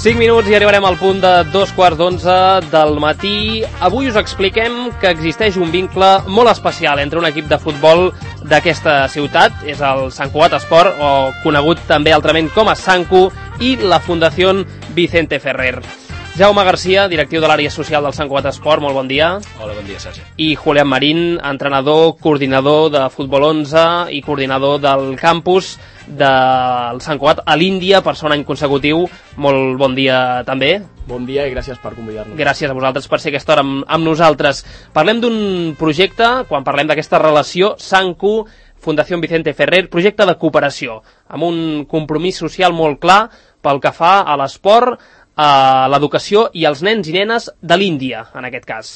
5 minuts i arribarem al punt de 2:15 del matí. Avui us expliquem que existeix un vincle molt especial entre un equip de futbol d'aquesta ciutat, és el Sant Cugat Esport, o conegut també altrament com a Sancu, i la Fundació Vicente Ferrer. Jaume Garcia, directiu de l'àrea social del Sant Cugat Esport, molt bon dia. Hola, bon dia, Sergi. I Julián Marín, entrenador, coordinador de Futbol 11 i coordinador del campus del Sant Cugat a l'Índia per segon any consecutiu. Molt bon dia també. Bon dia i gràcies per convidar-nos. Gràcies a vosaltres per ser aquesta hora amb nosaltres. Parlem d'un projecte, quan parlem d'aquesta relació, Sancu, Fundació Vicente Ferrer, projecte de cooperació, amb un compromís social molt clar pel que fa a l'esport, a l'educació i als nens i nenes de l'Índia, en aquest cas.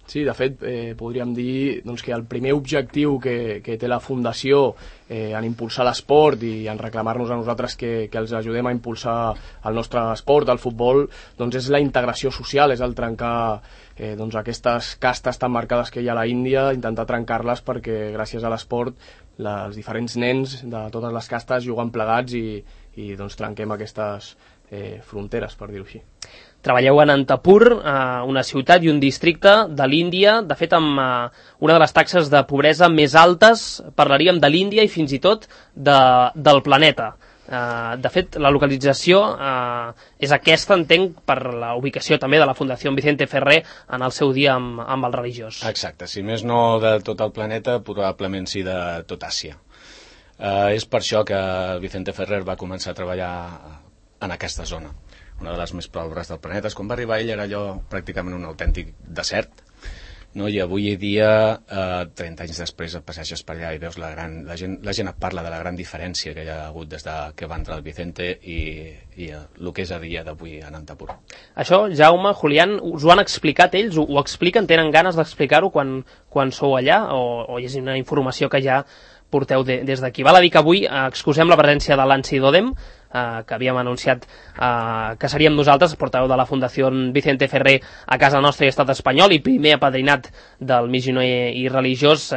Sí, de fet, podríem dir doncs, que el primer objectiu que té la Fundació en impulsar l'esport i en reclamar-nos a nosaltres que els ajudem a impulsar el nostre esport, el futbol, doncs és la integració social, és el trencar doncs aquestes castes tan marcades que hi ha a la Índia, intentar trencar-les perquè gràcies a l'esport els diferents nens de totes les castes juguen plegats i doncs trenquem aquestes fronteres, per dir-ho així. Treballeu a Anantapur, una ciutat i un districte de l'Índia, de fet amb una de les taxes de pobresa més altes, parlaríem de l'Índia i fins i tot del planeta. De fet, la localització és aquesta, entenc, per la ubicació també de la Fundació Vicente Ferrer en el seu dia amb el religiós. Exacte, si més no de tot el planeta, probablement sí de tot Àsia. És per això que Vicente Ferrer va començar a treballar en aquesta zona, una de les més pobres del planeta. Quan va arribar ell era allò pràcticament un autèntic desert, no? I avui dia, 30 anys després, et passeges per allà i veus la gent et parla de la gran diferència que hi ha hagut des que va entrar el Vicente i el que és a dia d'avui a Anantapur. Això, Jaume, Julián, us ho han explicat ells? Ho expliquen? Tenen ganes d'explicar-ho quan sou allà? O és una informació que ja porteu des d'aquí? Val a dir que avui excusem la presència de l'Ansi Dodem, que havíem anunciat que seríem nosaltres, portaveu de la Fundació Vicente Ferrer a casa nostra i estat espanyol i primer apadrinat del missioner i religiós.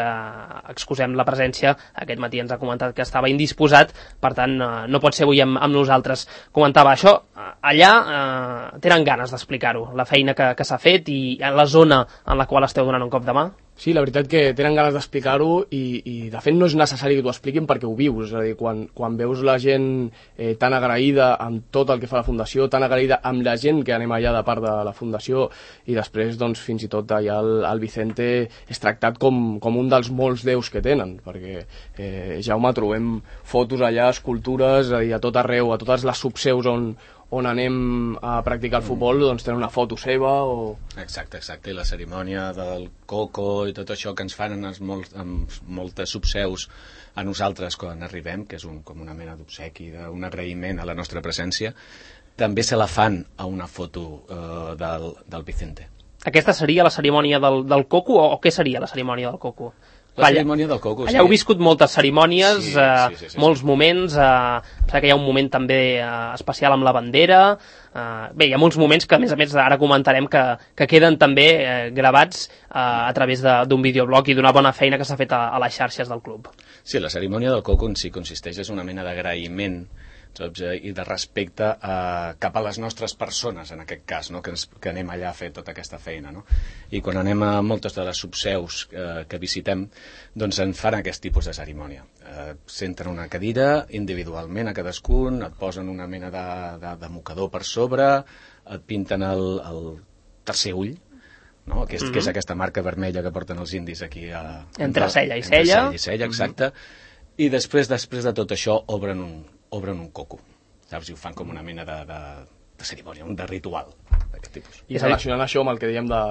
Excusem la presència, aquest matí ens ha comentat que estava indisposat, per tant no pot ser avui amb nosaltres. Comentava això, allà tenen ganes d'explicar-ho, la feina que s'ha fet i la zona en la qual esteu donant un cop de mà. Sí, la veritat que tenen ganes d'explicar-ho i de fet no és necessari que t'ho expliquin perquè ho vius, és a dir, quan veus la gent tan agraïda amb tot el que fa la Fundació, tan agraïda amb la gent que anem allà de part de la Fundació i després doncs fins i tot allà el Vicente és tractat com un dels molts déus que tenen, perquè Jaume, trobem fotos allà, escultures, a tot arreu, a totes les subseus on anem a practicar el futbol, doncs tenen una foto seva o... Exacte, i la cerimònia del coco i tot això que ens fan amb moltes subseus a nosaltres quan arribem, que és com una mena d'obsequi, un agraïment a la nostra presència, també se la fan a una foto del Vicente. Aquesta seria la cerimònia del coco o què seria la cerimònia del coco? La cerimònia del coco, allà heu viscut moltes cerimònies, sí. molts moments, que hi ha un moment també especial amb la bandera, bé, hi ha molts moments que a més ara comentarem que queden també gravats a través d'un videoblog i d'una bona feina que s'ha fet a les xarxes del club. Sí, la cerimònia del coco en si consisteix en una mena d'agraïment i de respecte cap a les nostres persones, en aquest cas, no? que anem allà a fer tota aquesta feina, no? I quan anem a moltes de les subseus que visitem, doncs en fan aquest tipus de cerimònia. Senten una cadira individualment a cadascun, et posen una mena de mocador per sobre, et pinten el tercer ull, no? Que és aquesta marca vermella que porten els indis aquí entre cella i cella. Exacte. I després de tot això obren un coco, saps? I ho fan com una mena de cerimònia, de ritual d'aquest tipus. I relacionant això amb el que dèiem de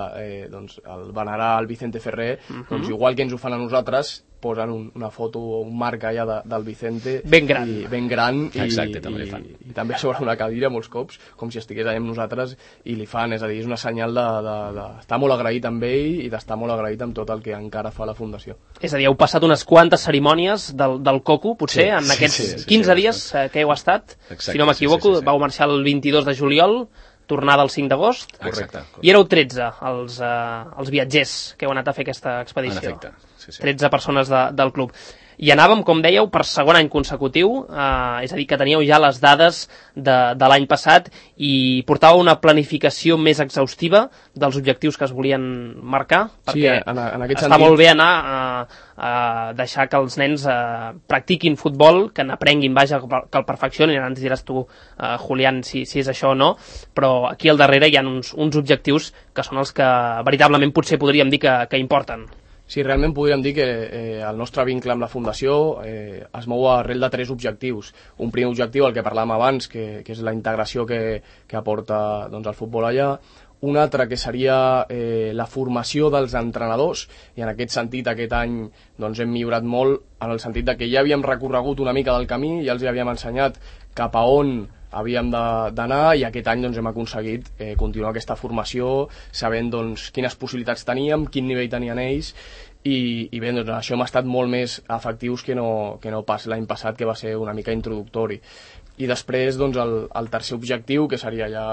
el venerar el Vicente Ferrer, doncs igual que ens ho fan a nosaltres, posen una foto o un marc allà del Vicente ben gran exacte, també li fan. I també sobre una cadira molts cops, com si estigués allà amb nosaltres, i li fan, és a dir, és una senyal d'estar molt agraït amb ell i d'estar molt agraït amb tot el que encara fa la Fundació. És a dir, heu passat unes quantes cerimònies del coco, potser, en aquests 15 dies que heu estat. Exacte, si no m'equivoco, vau marxar el 22 de juliol, tornada el 5 d'agost. Correcte. I éreu 13 els viatgers que heu anat a fer aquesta expedició. En efecte, sí. 13 persones del club. I anàvem, com dèieu, per segon any consecutiu, és a dir, que teníeu ja les dades de l'any passat i portàveu una planificació més exhaustiva dels objectius que es volien marcar, perquè sí, en aquest està molt bé anar a deixar que els nens practiquin futbol, que n'aprenguin, vaja, que el perfeccionin. Ara ens diràs tu, Julián, si és això o no, però aquí al darrere hi ha uns objectius que són els que veritablement potser podríem dir que importen. Sí, realment podríem dir que el nostre vincle amb la Fundació es mou arrel de 3 objectius. Un primer objectiu, el que parlàvem abans, que és la integració que aporta el futbol allà. Un altre que seria la formació dels entrenadors, i en aquest sentit aquest any hem millorat molt, en el sentit que ja havíem recorregut una mica del camí, ja els havíem ensenyat cap a on havíem d'anar, i aquest any hem aconseguit continuar aquesta formació sabent quines possibilitats teníem, quin nivell tenien ells, i bé, això hem estat molt més efectius que no pas l'any passat, que va ser una mica introductori. I després el tercer objectiu, que seria ja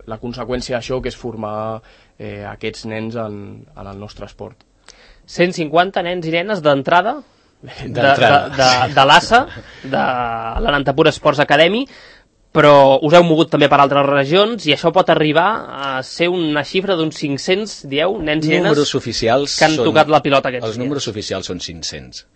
la conseqüència d'això, que és formar aquests nens en el nostre esport. 150 nens i nenes d'entrada de l'ASA, de l'Anantapur Sports Academy, però us heu mogut també per altres regions i això pot arribar a ser una xifra d'uns 500, dieu, nens i nenes que han tocat la pilota aquests dies. Els números oficials són 500.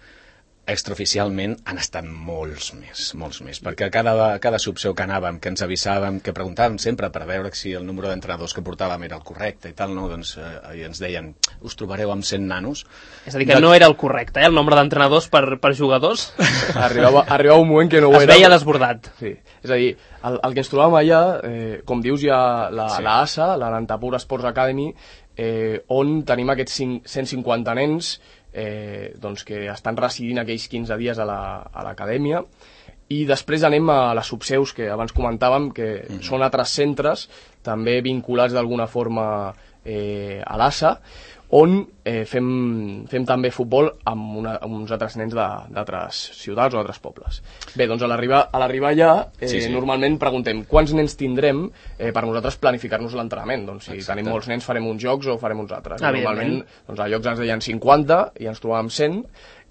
Extraoficialment han estat molts més, perquè cada subseu que anàvem, que ens avisàvem, que preguntàvem sempre per veure si el número d'entrenadors que portàvem era el correcte i tal, no? I ens deien, us trobareu amb 100 nanos. És a dir, que no era el correcte, el nombre d'entrenadors per jugadors. Arribava un moment que no ho era. Es veia desbordat. Sí. És a dir, el que ens trobàvem allà, com dius, hi ha l'ASA, l'Anantapur Sports Academy, on tenim aquests 150 nens que estan residint aquells 15 dies a l'acadèmia, i després anem a les subseus que abans comentàvem, que són altres centres també vinculats d'alguna forma a l'ASA, on fem també futbol amb uns altres nens d'altres ciutats o d'altres pobles. Bé, doncs a l'arribar allà, normalment preguntem quants nens tindrem per nosaltres planificar-nos l'entrenament. Doncs si tenim molts nens farem uns jocs o farem uns altres. Normalment a llocs ens deien 50 i ens trobàvem 100,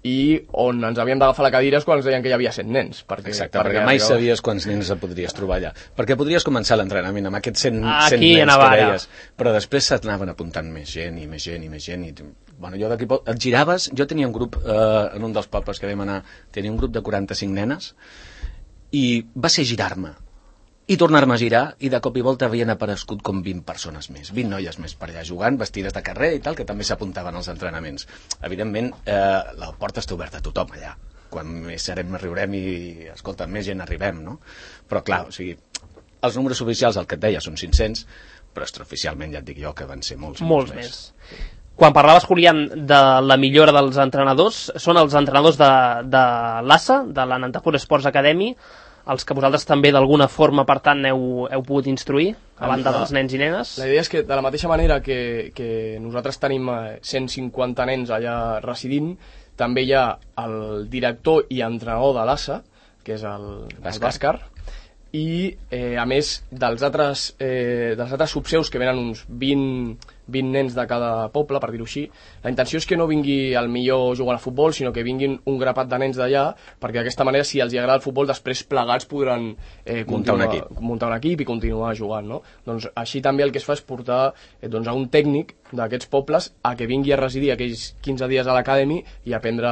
i on ens havíem d'agafar la cadira és quan ens deien que hi havia 100 nens. Exacte, perquè mai sabies quants nens et podries trobar allà. Perquè podries començar l'entrenament amb aquests 100 nens que deies, però després s'anaven apuntant més gent i més gent i més gent. Bueno, jo d'aquí et giraves, jo tenia un grup, en un dels pobles que vam anar, tenia un grup de 45 nenes, i va ser girar-me i tornar-me a girar, i de cop i volta havien aparegut com 20 persones més, 20 noies més per allà jugant, vestides de carrer i tal, que també s'apuntaven als entrenaments. Evidentment, la porta està oberta a tothom allà. Quan més serem, riurem i, escolta, més gent arribem, no? Però clar, o sigui, els números oficials, el que et deia, són 500, però extraoficialment ja et dic jo que van ser molts més. Quan parlaves, Julián, de la millora dels entrenadors, són els entrenadors de l'ASA, de l'Anantapur Sports Academy, els que vosaltres també d'alguna forma, per tant, heu pogut instruir, a banda dels nens i nenes? La idea és que, de la mateixa manera que nosaltres tenim 150 nens allà residint, també hi ha el director i entrenador de l'ASA, que és el Bàscar, i a més dels altres subseus, que venen uns 20 nens de cada poble, per dir-ho així, la intenció és que no vingui el millor jugant a futbol, sinó que vinguin un grapat de nens d'allà, perquè d'aquesta manera, si els agrada el futbol, després plegats podran muntar un equip i continuar jugant, no? Doncs així també el que es fa és portar a un tècnic d'aquests pobles a que vingui a residir aquells 15 dies a l'acadèmia i aprendre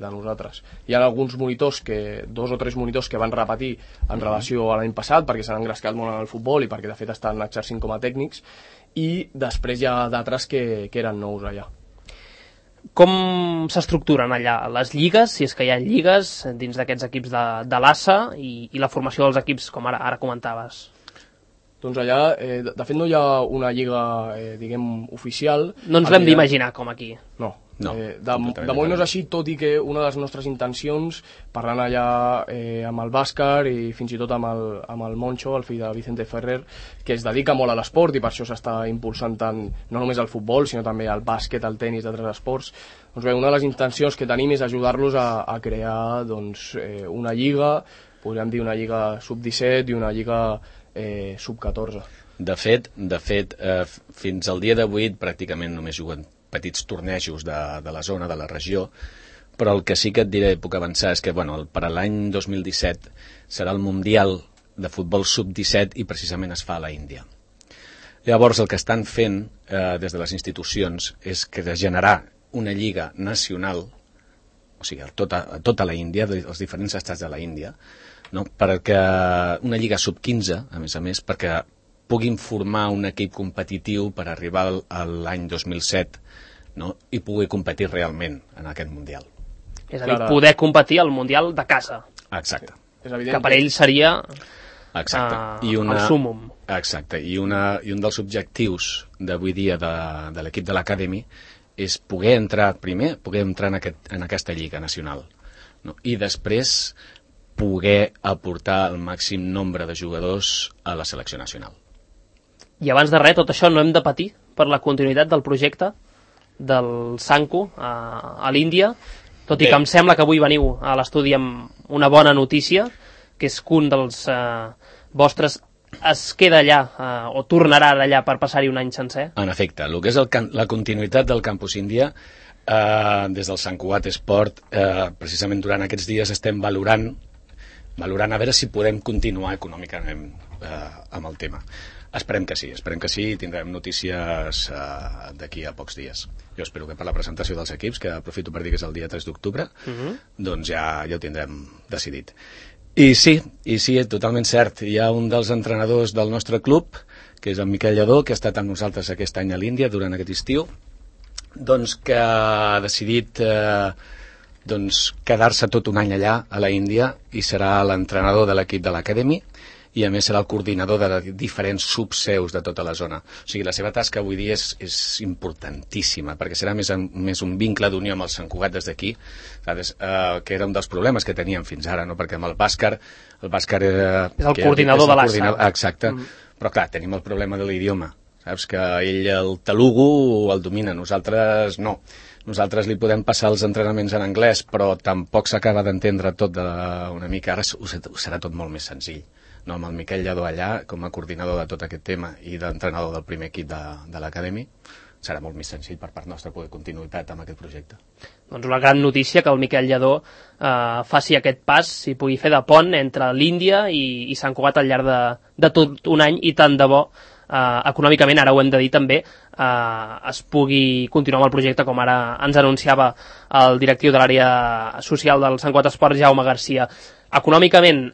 de nosaltres. Hi ha alguns monitors, 2 o 3 monitors que van repetir en relació a l'any passat, perquè s'han engrescat molt en el futbol i perquè de fet estan exercint com a tècnics, i després hi ha d'altres que eren nous allà. Com s'estructuren allà les lligues, si és que hi ha lligues dins d'aquests equips de l'ASA, i la formació dels equips, com ara comentaves? Doncs allà, de fet no hi ha una lliga, diguem, oficial. No ens l'hem d'imaginar com aquí. No. De moment no és així, tot i que una de les nostres intencions, parlant allà amb el Bàscar i fins i tot amb el Moncho, el fill de Vicente Ferrer, que es dedica molt a l'esport i per això s'està impulsant tant, no només al futbol, sinó també al bàsquet, al tenis, d'altres esports. Doncs bé, una de les intencions que tenim és ajudar-los a crear una lliga, podríem dir una lliga sub-17 i una lliga sub-14. De fet, fins al dia d'avui pràcticament només juguen petits tornejos de la zona, de la regió, però el que sí que et diré, puc avançar, és que per a l'any 2017 serà el Mundial de Futbol Sub-17 i precisament es fa a la Índia. Llavors el que estan fent des de les institucions és que de generar una lliga nacional, o sigui, a tota la Índia, els diferents estats de la Índia, no? Perquè una lliga sub-15, a més, perquè puguin formar un equip competitiu per arribar a l'any 2007, no? I pugui competir realment en aquest Mundial. És a dir, poder competir al Mundial de casa. Exacte. Que per ell seria el súmum. Exacte, i un dels objectius d'avui dia de l'equip de l'Academy és poder entrar en aquesta lliga nacional, no? I després poder aportar el màxim nombre de jugadors a la selecció nacional. I abans de res, tot això no hem de patir per la continuïtat del projecte del Sanku a l'Índia, tot i que em sembla que avui veniu a l'estudi amb una bona notícia, que és que un dels vostres es queda allà o tornarà allà per passar-hi un any sencer. En efecte, el que és la continuïtat del Campus Índia, des del Sant Cugat Esport, precisament durant aquests dies estem valorant a veure si podem continuar econòmicament amb el tema. Esperem que sí, i tindrem notícies d'aquí a pocs dies. Jo espero que per la presentació dels equips, que aprofito per dir que és el dia 3 d'octubre, doncs ja ho tindrem decidit. I sí, és totalment cert. Hi ha un dels entrenadors del nostre club, que és en Miquel Lledó, que ha estat amb nosaltres aquest any a l'Índia durant aquest estiu, doncs que ha decidit quedar-se tot un any allà a la Índia i serà l'entrenador de l'equip de l'Academy i a més serà el coordinador de diferents subseus de tota la zona. O sigui, la seva tasca avui dia és importantíssima, perquè serà més un vincle d'unió amb el Sant Cugat des d'aquí, que era un dels problemes que teníem fins ara, no? Perquè amb el Bàscar és el coordinador de l'ASA. Exacte, però clar, tenim el problema de l'idioma, saps? Que ell el telugu el domina, nosaltres no. Nosaltres li podem passar els entrenaments en anglès, però tampoc s'acaba d'entendre tot una mica. Ara ho serà tot molt més senzill. No, amb el Miquel Lledó allà, com a coordinador de tot aquest tema i d'entrenador del primer equip de l'Academy, serà molt més senzill per part nostra poder continuïtat amb aquest projecte. Doncs una gran notícia que el Miquel Lledó faci aquest pas i pugui fer de pont entre l'Índia i Sant Cugat al llarg de tot un any, i tant de bo econòmicament, ara ho hem de dir també, es pugui continuar amb el projecte, com ara ens anunciava el directiu de l'àrea social del Sant Cugat Esport, Jaume Garcia. Econòmicament,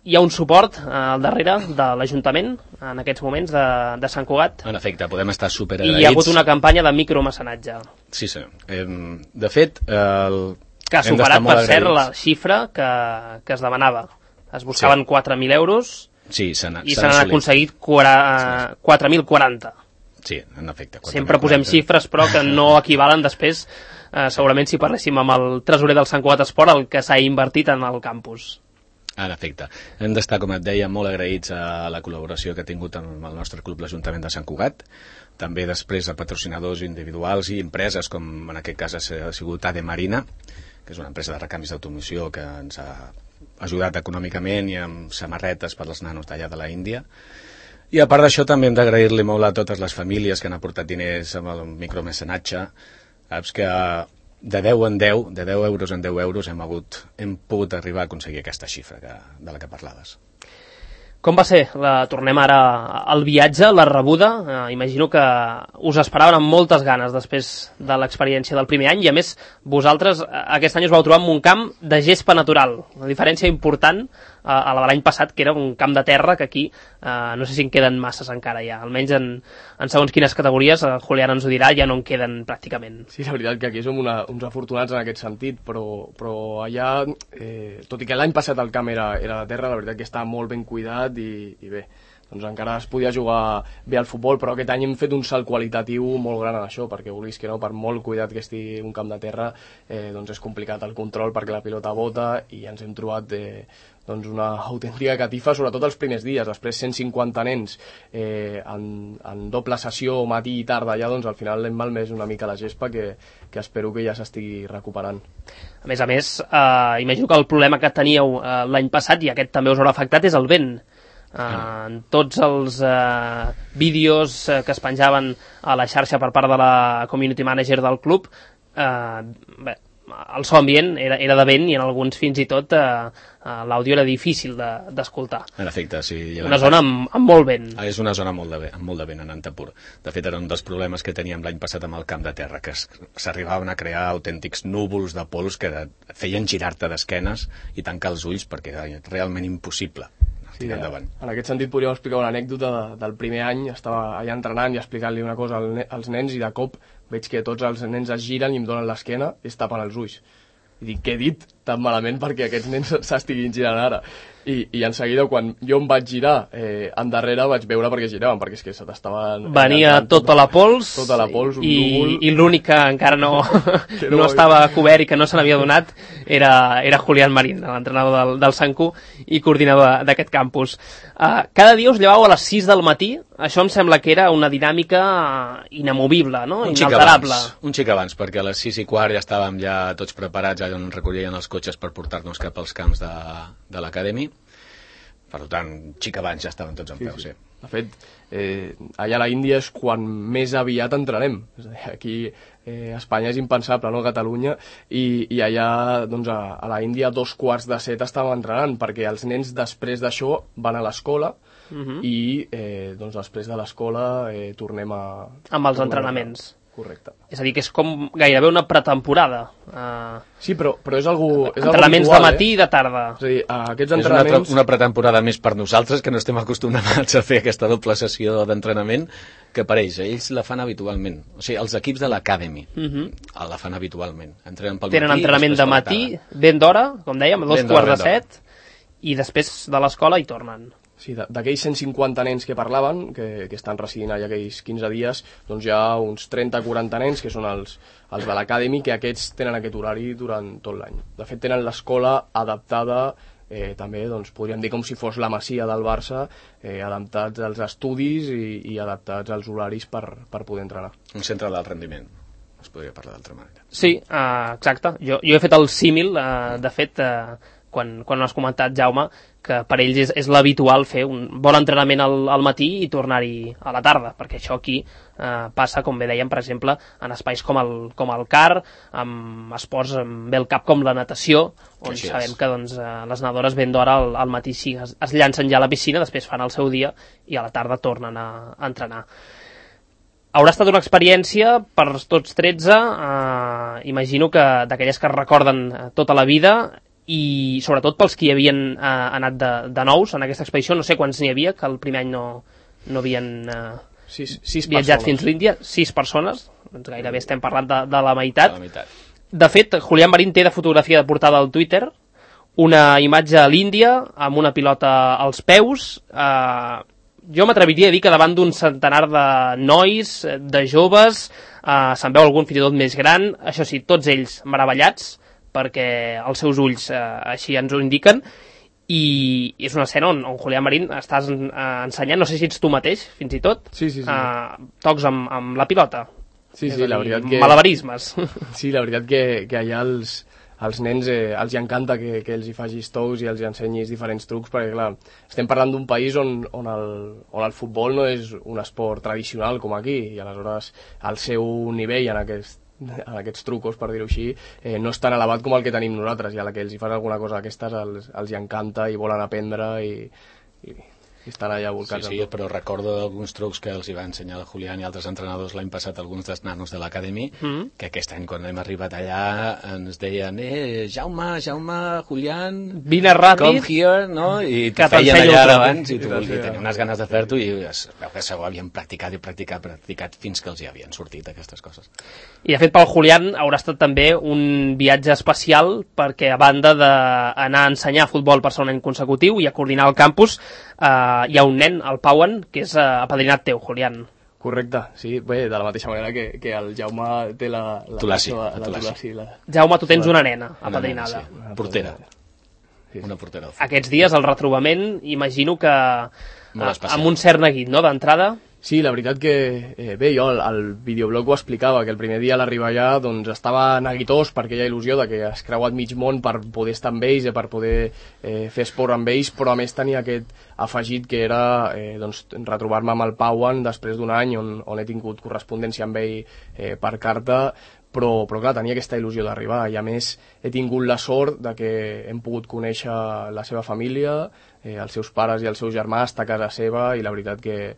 hi ha un suport al darrere de l'Ajuntament en aquests moments de Sant Cugat? En efecte, podem estar superagraïts. I hi ha hagut una campanya de micromecenatge. Sí, senyor. De fet, que ha superat, per cert, la xifra que es demanava. Es buscaven 4.000 euros i se n'han aconseguit 4.040. Sí, en efecte. Sempre posem xifres, però que no equivalen després, segurament si parléssim amb el tresorer del Sant Cugat Esport, el que s'ha invertit en el campus. En efecte. Hem d'estar, com et deia, molt agraïts a la col·laboració que ha tingut amb el nostre club, l'Ajuntament de Sant Cugat, també després a patrocinadors individuals i empreses, com en aquest cas ha sigut AD Marina, que és una empresa de recanvis d'automoció que ens ha ajudat econòmicament i amb samarretes per als nanos d'allà de la Índia. I a part d'això també hem d'agrair-li molt a totes les famílies que han aportat diners amb el micromecenatge. Saps que de 10 en 10, de 10 euros en 10 euros hem pogut arribar a aconseguir aquesta xifra de la que parlaves. Com va ser? Tornem ara al viatge, la rebuda. Imagino que us esperaven amb moltes ganes després de l'experiència del primer any, i a més vosaltres aquest any us vau trobar en un camp de gespa natural, una diferència important a la de l'any passat, que era un camp de terra, que aquí no sé si en queden masses encara ja, almenys en segons quines categories, Julián ens ho dirà, ja no en queden pràcticament. Sí, la veritat que aquí som uns afortunats en aquest sentit, però allà, tot i que l'any passat el camp era de terra, la veritat que està molt ben cuidat i bé, doncs encara es podia jugar bé al futbol, però aquest any hem fet un salt qualitatiu molt gran en això, perquè vulguis que no, per molt cuidat que estigui un camp de terra, doncs és complicat el control perquè la pilota bota, i ens hem trobat doncs una autèntica catifa, sobretot els primers dies. Després 150 nens en doble sessió matí i tarda allà, doncs al final hem malmès una mica la gespa, que espero que ja s'estigui recuperant. A més, imagino que el problema que teníeu l'any passat, i aquest també us haurà afectat, és el vent. En tots els vídeos que es penjaven a la xarxa per part de la community manager del club, el so ambient era de vent i en alguns fins i tot l'àudio era difícil d'escoltar. En efecte, sí. Una zona amb molt vent. És una zona amb molt de vent en Antapur. De fet, era un dels problemes que teníem l'any passat amb el camp de terra, que s'arribaven a crear autèntics núvols de pols que feien girar-te d'esquenes i tancar els ulls perquè era realment impossible tirar endavant. En aquest sentit podríem explicar una anècdota del primer any. Estava allà entrenant i explicant-li una cosa als nens i de cop veig que tots els nens es giren i em donen l'esquena i es tapen els ulls. I dic, què he dit tan malament perquè aquests nens s'estiguin girant ara? I en seguida, quan jo em vaig girar endarrere, vaig veure perquè giraven, perquè és que se t'estaven... Venia tota la pols, un núvol... I l'únic que encara no estava cobert i que no se n'havia donat era Julián Marín, l'entrenador del Sanku i coordinador d'aquest campus. Cada dia us llevau a les 6 del matí, això em sembla que era una dinàmica inamovible, no? Inalterable. Un xic abans, perquè a les 6:15 ja estàvem ja tots preparats, allà on recorrien els cotxes per portar-nos cap als camps de l'acadèmia. Per tant, xic abans ja estaven tots en peu, sí. De fet, allà a la Índia és quan més aviat entrenem. És a dir, aquí a Espanya és impensable, no? A Catalunya, i allà doncs, a la Índia a 6:15 estàvem entrenant, perquè els nens després d'això van a l'escola i doncs, després de l'escola tornem a... Amb els entrenaments. Correcte. És a dir, que és com gairebé una pretemporada. Sí, però és algo entrenaments habitual, de matí i de tarda. És a dir, aquests entrenaments... És una pretemporada més per nosaltres, que no estem acostumats a fer aquesta doble sessió d'entrenament, que per ells la fan habitualment. O sigui, els equips de l'Academy la fan habitualment. Tenen entrenament de matí, ben d'hora, com dèiem, a 6:45, i després de l'escola hi tornen. Sí, d'aquells 150 nens que parlaven, que estan residint allà aquells 15 dies, doncs hi ha uns 30-40 nens que són els de l'Academy, que aquests tenen aquest horari durant tot l'any. De fet, tenen l'escola adaptada, també doncs, podríem dir com si fos la Masia del Barça, adaptats als estudis i adaptats als horaris per poder entrenar. Un centre d'alt rendiment, es podria parlar d'altra manera. Sí, exacte. Jo he fet el símil, de fet, quan ho has comentat, Jaume, que per ells és l'habitual fer un bon entrenament al matí i tornar-hi a la tarda, perquè això aquí passa, com bé dèiem, per exemple, en espais com el CAR, amb esports amb el cap com la natació, on sabem que doncs, les nedadores ben d'hora al matí sí, es llancen ja a la piscina, després fan el seu dia i a la tarda tornen a entrenar. Haurà estat una experiència per tots 13, imagino que d'aquelles que es recorden tota la vida, i sobretot pels que hi havien anat de nous en aquesta expedició. No sé quants n'hi havia, que el primer any no havien viatjat fins a l'Índia. 6 persones, doncs gairebé estem parlant de la meitat. De fet, Julián Marín té de fotografia de portada al Twitter una imatge a l'Índia amb una pilota als peus. Jo m'atreviria a dir que davant d'un centenar de nois, de joves, se'n veu algun fins i tot més gran, això sí, tots ells meravellats, perquè els seus ulls així ens ho indiquen, i és una escena on Julián Marín estàs ensenyant, no sé si ets tu mateix, fins i tot, tocs amb la pilota. Sí, la veritat que... Malabarismes. Sí, la veritat que allà als nens els encanta que els hi facis tous i els hi ensenyis diferents trucs, perquè clar, estem parlant d'un país on el futbol no és un esport tradicional com aquí, i aleshores el seu nivell en aquests trucos, per dir-ho així, no és tan elevat com el que tenim nosaltres, i a la que els hi fas alguna cosa d'aquestes els hi encanta i volen aprendre i estan allà volcats. Sí, però recordo alguns trucs que els hi va ensenyar el Julián i altres entrenadors l'any passat, alguns dels nanos de l'Academy, que aquest any quan hem arribat allà ens deien Jaume, Julián, vine ràpid, come here, no? I te feien allà abans i tu tenies unes ganes de fer-ho i es veu que ho havien practicat fins que els hi havien sortit aquestes coses. I de fet pel Julián haurà estat també un viatge especial, perquè a banda d'anar a ensenyar futbol per segon any consecutiu i a coordinar el campus, hi ha un nen, el Pauan, que és apadrinat teu, Julián. Correcte, sí, bé, de la mateixa manera que el Jaume té la Tulassi. Jaume, tu tens una nena apadrinada. Una portera. Una portera. Aquests dies el retrobament, imagino que amb un cert neguit, no?, d'entrada. Sí, la veritat que, bé, jo al videoblog ho explicava, que el primer dia a l'arribar allà doncs, estava neguitós per aquella il·lusió de que has creuat mig món per poder estar amb ells i per poder fer esport amb ells, però a més tenia aquest afegit que era doncs, retrobar-me amb el Pauan després d'un any on he tingut correspondència amb ell per carta, però clar, tenia aquesta il·lusió d'arribar, i a més he tingut la sort de que hem pogut conèixer la seva família, els seus pares i el seu germà, estar a casa seva, i la veritat que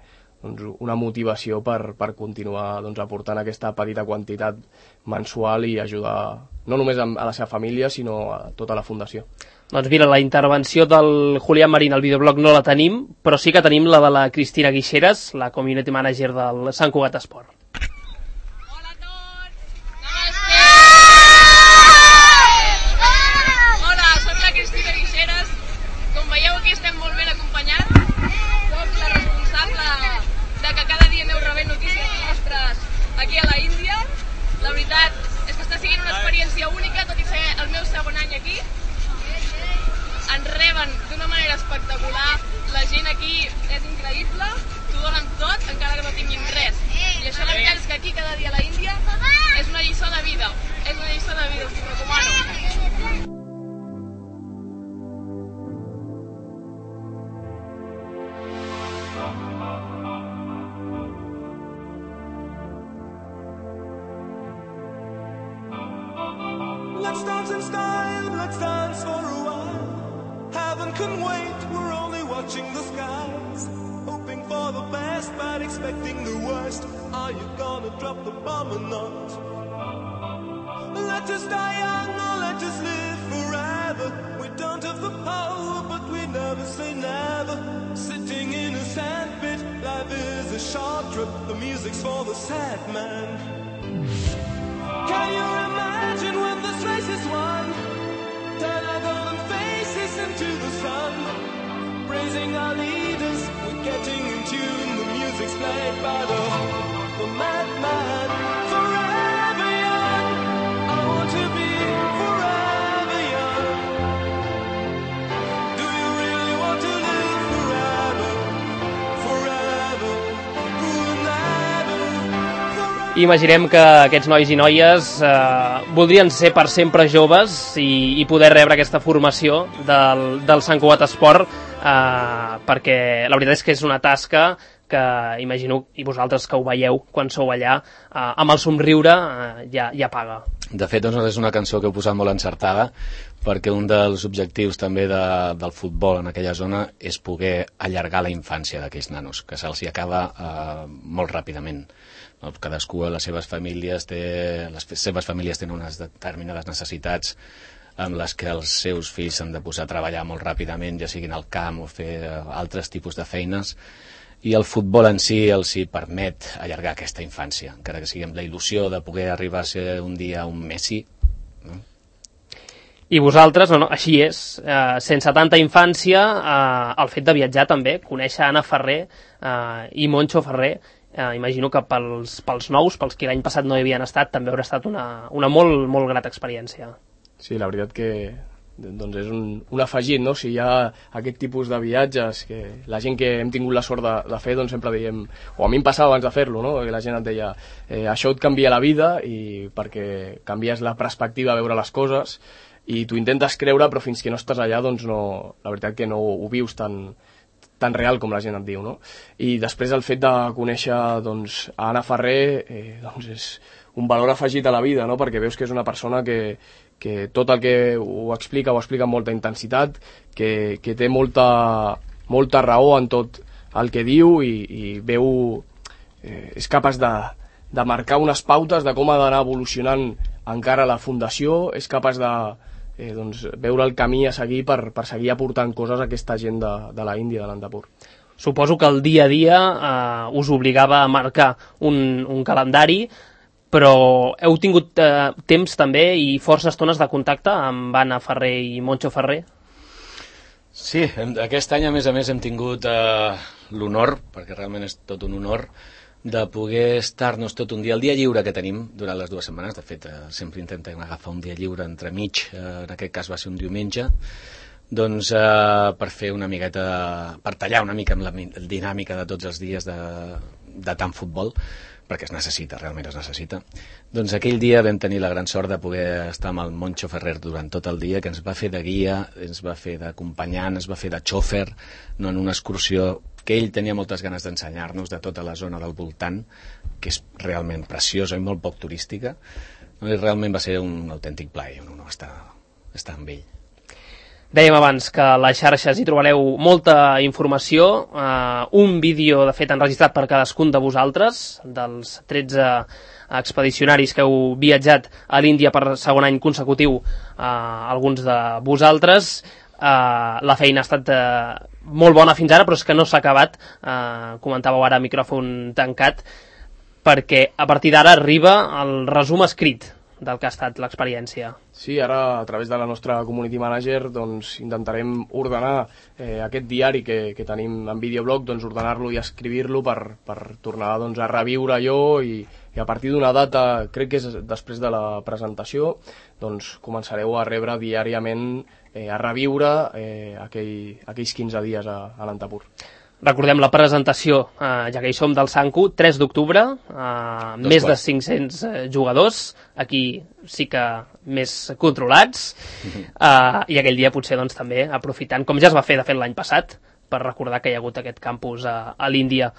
una motivació per continuar aportant aquesta petita quantitat mensual i ajudar no només a la seva família, sinó a tota la fundació. Doncs mira, la intervenció del Julián Marín al videoblog no la tenim, però sí que tenim la de la Cristina Guixeras, la community manager del Sant Cugat Esport. Hola a tots! Hola, soc la Cristina Guixeras. Com veieu, aquí estem molt ben acompanyats. Soc la responsable de que cada dia aneu rebent notícies nostres aquí a la Índia. La veritat és que està sent una experiència única, tot i ser el meu segon any aquí. Ens reben d'una manera espectacular, la gent aquí és increïble, t'ho donen tot encara que no tinguin res. I això la veritat és que aquí cada dia a la Índia és una lliçó de vida, us ho recomano. Let's dance in style, let's dance for a while. Heaven can wait, we're only watching the skies. Hoping for the best, but expecting the worst. Are you gonna drop the bomb or not? Let us die young or let us live forever. We don't have the power, but we never say never. Sitting in a sandpit, life is a short trip. The music's for the sad man. Can you imagine when this race is won? Turn our golden faces into the sun. Praising our leaders, we're getting in tune. The music's played by the madman. Forever young, I want to be forever young. Do you really want to live forever? Forever, forever. Imaginem que aquests nois i noies voldrien ser per sempre joves i poder rebre aquesta formació del Sant Cugat Esport, perquè la veritat és que és una tasca que imagino, i vosaltres que ho veieu quan sou allà, amb el somriure ja paga. De fet, doncs, és una cançó que heu posat molt encertada, perquè un dels objectius també del futbol en aquella zona és poder allargar la infància d'aquells nanos, que se'ls acaba molt ràpidament. Cadascú a les seves famílies tenen unes determinades necessitats amb les que els seus fills s'han de posar a treballar molt ràpidament, ja siguin al camp o fer altres tipus de feines, i el futbol en si els hi permet allargar aquesta infància, encara que sigui amb la il·lusió de poder arribar a ser un dia un Messi. I vosaltres, així és, sense tanta infància, el fet de viatjar també, conèixer Anna Ferrer i Moncho Ferrer, imagino que pels nous, pels que l'any passat no hi havien estat, també haurà estat una molt, molt grata experiència. Sí, la veritat que doncs és un afegit, no? Si hi ha aquest tipus de viatges que la gent que hem tingut la sort de fer, doncs sempre diem, o a mi em passava abans de fer-lo, no? Que la gent et deia, això et canvia la vida, i perquè canvies la perspectiva a veure les coses, i tu intentes creure, però fins que no estàs allà, doncs no, la veritat que no ho vius tan real com la gent et diu, no? I després el fet de conèixer doncs, a Anna Ferrer doncs és un valor afegit a la vida, no? Perquè veus que és una persona que tot el que ho explica amb molta intensitat, que té molta raó en tot el que diu, i veu, és capaç de marcar unes pautes de com ha d'anar evolucionant encara la fundació, és capaç de veure el camí a seguir per seguir aportant coses a aquesta gent de la Índia, de l'Andapur. Suposo que el dia a dia us obligava a marcar un calendari, però heu tingut temps també i força estones de contacte amb Anna Ferrer i Moncho Ferrer? Sí, aquest any a més hem tingut l'honor, perquè realment és tot un honor, de poder estar-nos tot un dia, el dia lliure que tenim durant les 2 setmanes, de fet sempre intentem agafar un dia lliure entremig, en aquest cas va ser un diumenge, doncs per fer una miqueta, per tallar una mica amb la dinàmica de tots els dies de tant futbol, perquè es necessita, realment es necessita. Doncs aquell dia vam tenir la gran sort de poder estar amb el Moncho Ferrer durant tot el dia, que ens va fer de guia, ens va fer d'acompanyant, ens va fer de xòfer, en una excursió que ell tenia moltes ganes d'ensenyar-nos de tota la zona del voltant, que és realment preciosa i molt poc turística, Realment va ser un autèntic plaer, un honor estar amb ell. Dèiem abans que a les xarxes hi trobareu molta informació, un vídeo de fet enregistrat per cadascun de vosaltres, dels 13 expedicionaris que heu viatjat a l'Índia per segon any consecutiu, alguns de vosaltres. La feina ha estat molt bona fins ara, però és que no s'ha acabat, comentàveu ara a micròfon tancat, perquè a partir d'ara arriba el resum escrit del que ha estat l'experiència. Sí, ara a través de la nostra community manager doncs, intentarem ordenar aquest diari que tenim en videoblog, doncs, ordenar-lo i escriure-lo per tornar doncs, a reviure allò i a partir d'una data, crec que és després de la presentació, doncs, començareu a rebre diàriament, a reviure aquells 15 dies a l'Antapur. Recordem la presentació, ja que hi som del Sanku, 3 d'octubre, més de 500 jugadors, aquí sí que més controlats, i aquell dia potser doncs, també aprofitant, com ja es va fer de fet l'any passat, per recordar que hi ha hagut aquest campus a l'Índia.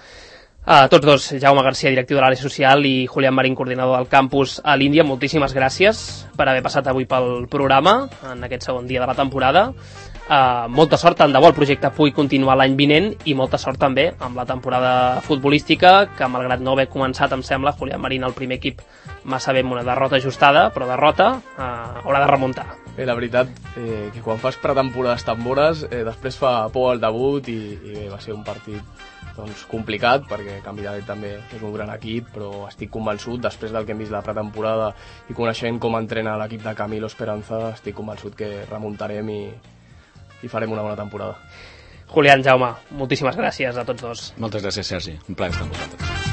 Tots dos, Jaume Garcia, directiu de l'àrea social, i Julián Marín, coordinador del campus a l'Índia, moltíssimes gràcies per haver passat avui pel programa, en aquest segon dia de la temporada. Molta sort, tant de bo el projecte pugui continuar l'any vinent, i molta sort també amb la temporada futbolística, que malgrat no haver començat, em sembla, Julián Marín, el primer equip, massa bé amb una derrota ajustada, però derrota haurà de remuntar. Bé, la veritat, que quan fas pretemporades tan bones, després fa por al debut i bé, va ser un partit doncs, complicat, perquè Canvi també és un gran equip, però estic convençut, després del que hem vist la pretemporada i coneixent com entrena l'equip de Camilo Esperanza, estic convençut que remuntarem i farem una bona temporada. Julián, Jaume, moltíssimes gràcies a tots dos. Moltes gràcies, Sergi. Un plaer estar amb vosaltres.